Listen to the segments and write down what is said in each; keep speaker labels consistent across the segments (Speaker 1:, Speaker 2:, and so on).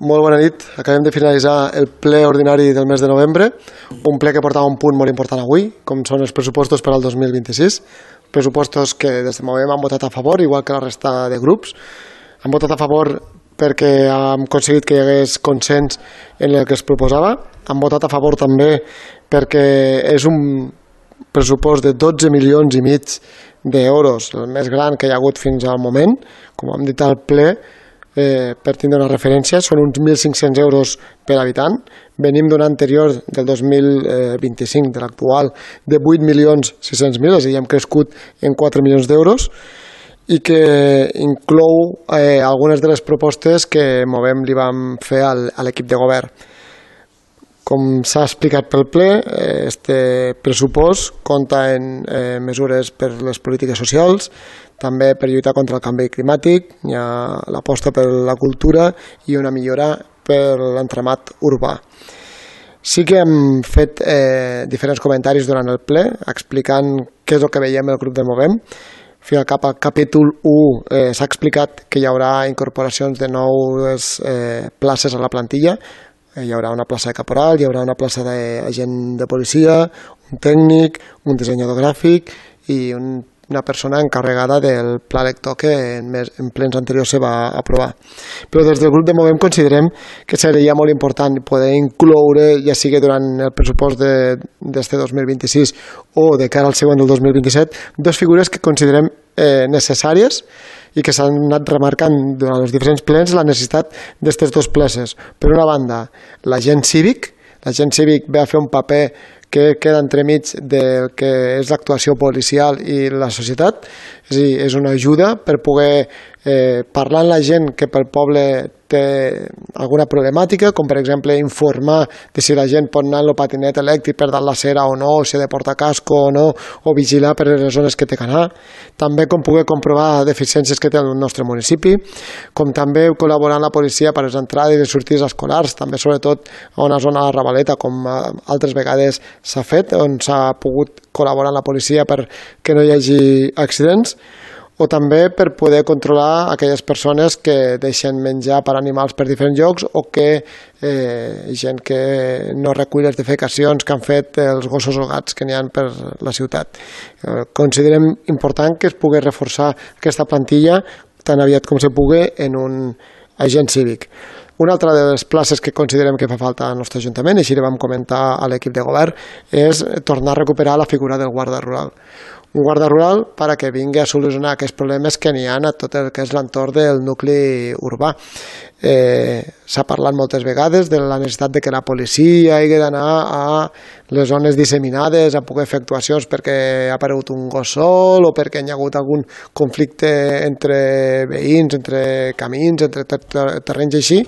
Speaker 1: Molt bona nit. Acabem de finalitzar el ple ordinari del mes de novembre, un ple que portava un punt molt important avui, com són els pressupostos per al 2026, pressupostos que des de Movem han votat a favor, igual que la resta de grups. Han votat a favor perquè hem aconseguit que hi hagués consens en el que es proposava. Han votat a favor també perquè és un pressupost de 12 milions i mig d'euros, el més gran que hi ha hagut fins al moment. Com hem dit al ple, per tindre una referència, són uns 1.500 euros per habitant. Venim d'un anterior del 2025, de l'actual, de 8.600.000, és a dir, hem crescut en 4 milions d'euros, i que inclou algunes de les propostes que Movem li vam fer a l'equip de govern. Com s'ha explicat pel ple, este pressupost compta en mesures per les polítiques socials, també per lluitar contra el canvi climàtic, hi ha l'aposta per la cultura i una millora per l'entramat urbà. Sí que hem fet diferents comentaris durant el ple, explicant què és el que veiem el grup de Movem. Al capítol 1 s'ha explicat que hi haurà incorporacions de noves places a la plantilla. Hi haurà una plaça de caporal, hi haurà una plaça d'agent de policia, un tècnic, un dissenyador gràfic i una persona encarregada del pla lector que en plens anteriors se va aprovar. Però des del grup de Movem considerem que seria molt important poder incloure, ja sigui durant el pressupost d'este 2026 o de cara al següent del 2027, dues figures que considerem necessàries i que s'han anat remarcant durant els diferents plens la necessitat d'aquestes dues places. Per una banda, l'agent cívic. L'agent cívic ve a fer un paper que queda entremig del que és l'actuació policial i la societat, és a dir, és una ajuda per poder parlar amb la gent que pel poble té alguna problemàtica, com per exemple informar de si la gent pot anar en el patinet elèctric per dalt la cera o no, o si ha de portar casco o no, o vigilar per les zones que té que anar, també com poder comprovar deficiències que té el nostre municipi, com també col·laborar amb la policia per les entrades i les sortides escolars, també sobretot a una zona de la Ravaleta, com altres vegades s'ha fet, on s'ha pogut col·laborar amb la policia perquè no hi hagi accidents, o també per poder controlar aquelles persones que deixen menjar per animals per diferents llocs o que gent que no recull les defecacions que han fet els gossos o gats que n'hi ha per la ciutat. Considerem important que es pugui reforçar aquesta plantilla tan aviat com se pugui en un agent cívic. Una altra de les places que considerem que fa falta al nostre Ajuntament, i així li vam comentar a l'equip de govern, és tornar a recuperar la figura del guarda rural. Un guarda rural perquè vingui a solucionar aquests problemes que n'hi ha a tot el que és l'entorn del nucli urbà. S'ha parlat moltes vegades de la necessitat de que la policia hagi d'anar a les zones disseminades a poder fer actuacions perquè ha aparegut un gos sol o perquè hi ha hagut algun conflicte entre veïns, entre camins, entre terrenys així,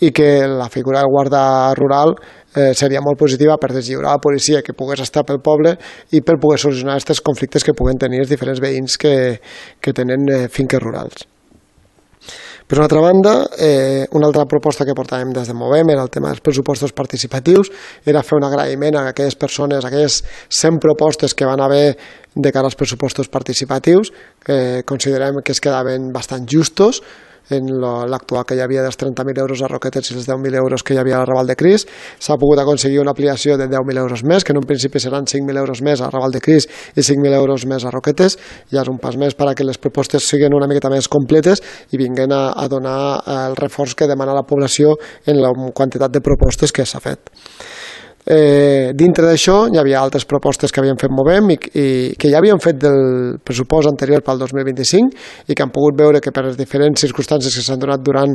Speaker 1: i que la figura del guarda rural seria molt positiva per deslliurar la policia que pogués estar pel poble i per poder solucionar aquests conflictes que puguen tenir els diferents veïns que tenen finques rurals. Per una altra banda, una altra proposta que portàvem des de Movem era el tema dels pressupostos participatius, era fer un agraïment a aquelles persones, a aquelles 100 propostes que van haver de cara als pressupostos participatius, que considerem que es quedaven bastant justos, en l'actual que hi havia dels 30.000 euros a Roquetes i els 10.000 euros que hi havia al Raval de Cris. S'ha pogut aconseguir una ampliació de 10.000 euros més, que en un principi seran 5.000 euros més al Raval de Cris i 5.000 euros més a Roquetes. Ja és un pas més perquè les propostes siguin una miqueta més completes i vinguin a donar el reforç que demana la població en la quantitat de propostes que s'ha fet. Dintre d'això hi havia altres propostes que havíem fet Movem i que ja havíem fet del pressupost anterior pel 2025 i que han pogut veure que per les diferents circumstàncies que s'han donat durant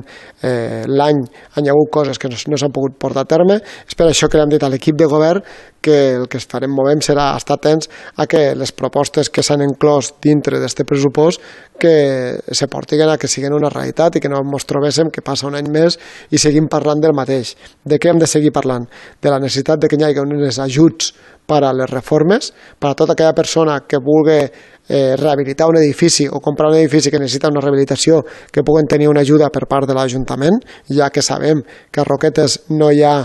Speaker 1: l'any han hi hagut coses que no s'han pogut portar a terme. És per això que l'hem dit a l'equip de govern que el que farem Movem serà estar atents a que les propostes que s'han inclòs dintre d'aquest pressupost que se portin a que siguin una realitat i que no ens trobéssim que passa un any més i seguim parlant del mateix. De què hem de seguir parlant? De la necessitat de que hi hagi uns ajuts per a les reformes, per a tota aquella persona que vulgui rehabilitar un edifici o comprar un edifici que necessita una rehabilitació, que puguen tenir una ajuda per part de l'Ajuntament, ja que sabem que a Roquetes no hi ha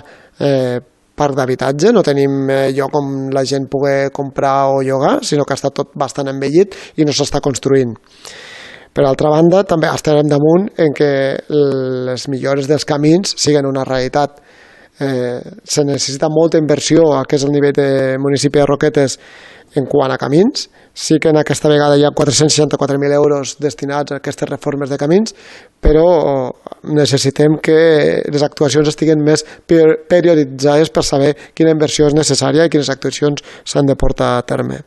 Speaker 1: parc d'habitatge, no tenim lloc on la gent pugui comprar o llogar, sinó que està tot bastant envellit i no s'està construint. Per altra banda, també estarem damunt en que les millores dels camins siguin una realitat. Se necessita molta inversió a què és el nivell de municipi de Roquetes en quant a camins. Sí que en aquesta vegada hi ha 464.000 euros destinats a aquestes reformes de camins, però necessitem que les actuacions estiguin més perioditzades per saber quina inversió és necessària i quines actuacions s'han de portar a terme.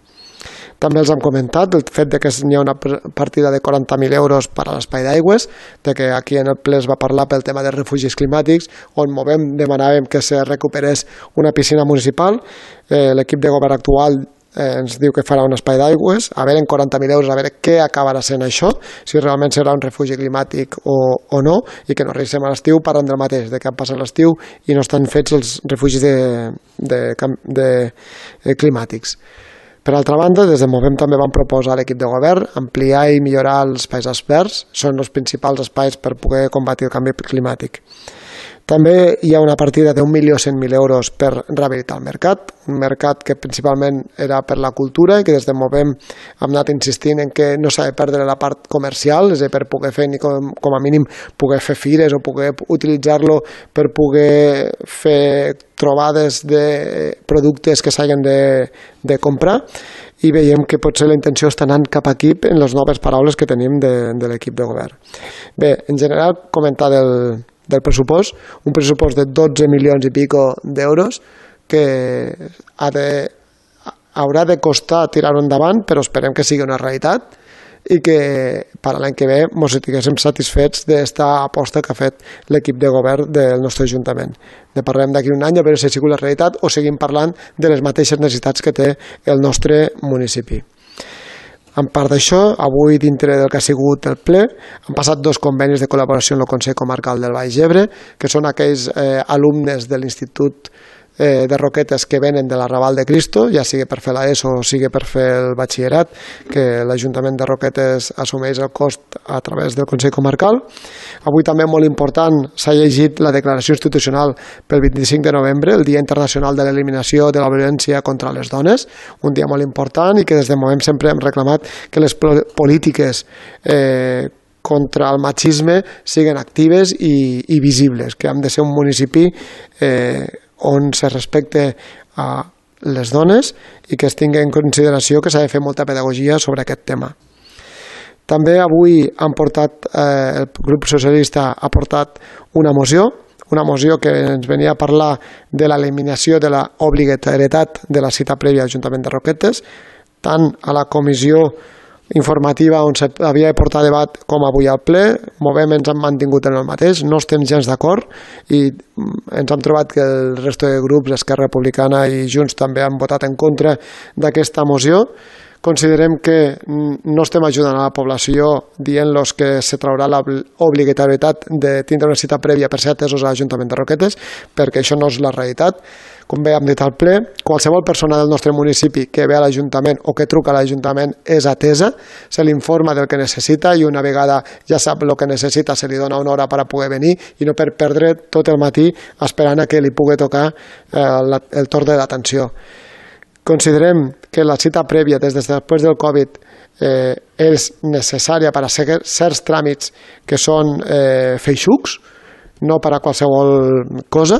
Speaker 1: També els hem comentat el fet que hi ha una partida de 40.000 euros per a l'espai d'aigües, de que aquí en el ple es va parlar pel tema de refugis climàtics, on demanàvem que se recuperés una piscina municipal. L'equip de govern actual ens diu que farà un espai d'aigües, a veure en 40.000 euros, a veure què acabarà sent això, si realment serà un refugi climàtic o no, i que no arribem a l'estiu parlant del mateix, de que han passat l'estiu i no estan fets els refugis climàtics. Per altra banda, des de Movem també vam proposar a l'equip de govern ampliar i millorar els espais verds, són els principals espais per poder combatre el canvi climàtic. També hi ha una partida de 1.100.000 euros per rehabilitar el mercat, un mercat que principalment era per la cultura i que des de Movem hem anat insistint en que no s'ha de perdre la part comercial, és a dir, per poder fer, com a mínim, poder fer fires o poder utilitzar-lo per poder fer trobades de productes que s'hagin de comprar, i veiem que potser la intenció està anant cap aquí en les noves paraules que tenim de l'equip de govern. Bé, en general, comentar del pressupost, un pressupost de 12 milions i pico d'euros que haurà de costar tirar-ho endavant, però esperem que sigui una realitat i que per l'any que ve ens estiguéssim satisfets d'esta aposta que ha fet l'equip de govern del nostre Ajuntament. Ne parlarem d'aquí un any a veure si ha sigut la realitat o seguim parlant de les mateixes necessitats que té el nostre municipi. En part d'això, avui dintre del que ha sigut el ple, han passat 2 convenis de col·laboració amb el Consell Comarcal del Baix Ebre, que són aquells alumnes de l'Institut de Roquetes que venen de l'Arrabal de Cristo, ja sigui per fer l'ESO o sigui per fer el batxillerat, que l'Ajuntament de Roquetes assumeix el cost a través del Consell Comarcal. Avui també molt important s'ha llegit la declaració institucional pel 25 de novembre, el Dia Internacional de l'Eliminació de la Violència contra les Dones, un dia molt important i que des de Movem sempre hem reclamat que les polítiques contra el machisme siguin actives i visibles, que hem de ser un municipi on se respecte a les dones i que es tingui en consideració que s'ha de fer molta pedagogia sobre aquest tema. També avui el grup socialista ha portat una moció que ens venia a parlar de l'eliminació de l'obligatorietat de la cita prèvia a l'Ajuntament de Roquetes, tant a la comissió informativa on s'havia de portar debat com avui al ple. Movem ens han mantingut en el mateix, no estem gens d'acord i ens hem trobat que el resto de grups, Esquerra Republicana i Junts, també han votat en contra d'aquesta moció. Considerem que no estem ajudant a la població dient-los que se traurà l'obligatorietat de tindre una cita prèvia per ser atesos a l'Ajuntament de Roquetes, perquè això no és la realitat. Com bé hem dit al ple, qualsevol persona del nostre municipi que ve a l'Ajuntament o que truca a l'Ajuntament és atesa, se li informa del que necessita i una vegada ja sap el que necessita se li dona una hora per a poder venir i no per perdre tot el matí esperant a que li pugui tocar el torn de l'atenció. Considerem que la cita prèvia des de després del Covid és necessària per a certs tràmits que són feixucs, no per a qualsevol cosa,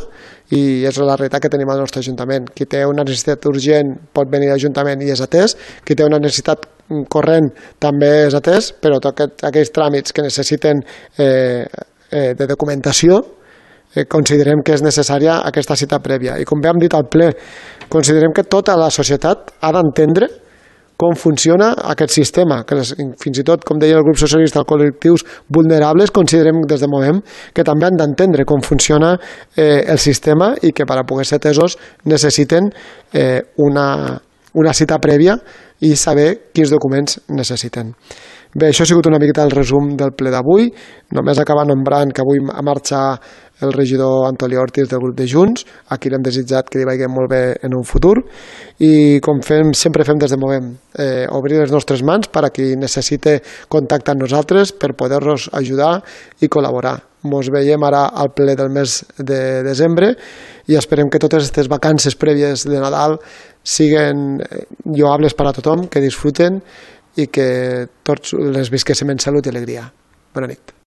Speaker 1: i és la realitat que tenim al nostre Ajuntament. Qui té una necessitat urgent pot venir a l'Ajuntament i és atès, qui té una necessitat corrent també és atès, però tots aquells tràmits que necessiten de documentació considerem que és necessària aquesta cita prèvia. I com bé hem dit al ple, considerem que tota la societat ha d'entendre com funciona aquest sistema, que fins i tot, com deia el grup socialista, els col·lectius vulnerables, considerem des de Movem que també han d'entendre com funciona el sistema i que per a poder ser atesos necessiten una cita prèvia i saber quins documents necessiten. Bé, això ha sigut una miqueta el resum del ple d'avui. Només acabar nombrant que avui marxa el regidor Antoni Ortiz del grup de Junts, a qui l'hem desitjat que li vagi molt bé en un futur, i com sempre fem des de Movem, obrir les nostres mans per a qui necessite contactar amb nosaltres per poder-nos ajudar i col·laborar. Ens veiem ara al ple del mes de desembre i esperem que totes aquestes vacances prèvies de Nadal siguin lloables per a tothom, que disfruten, i que tots les visquéssim en salut i alegria. Bona nit.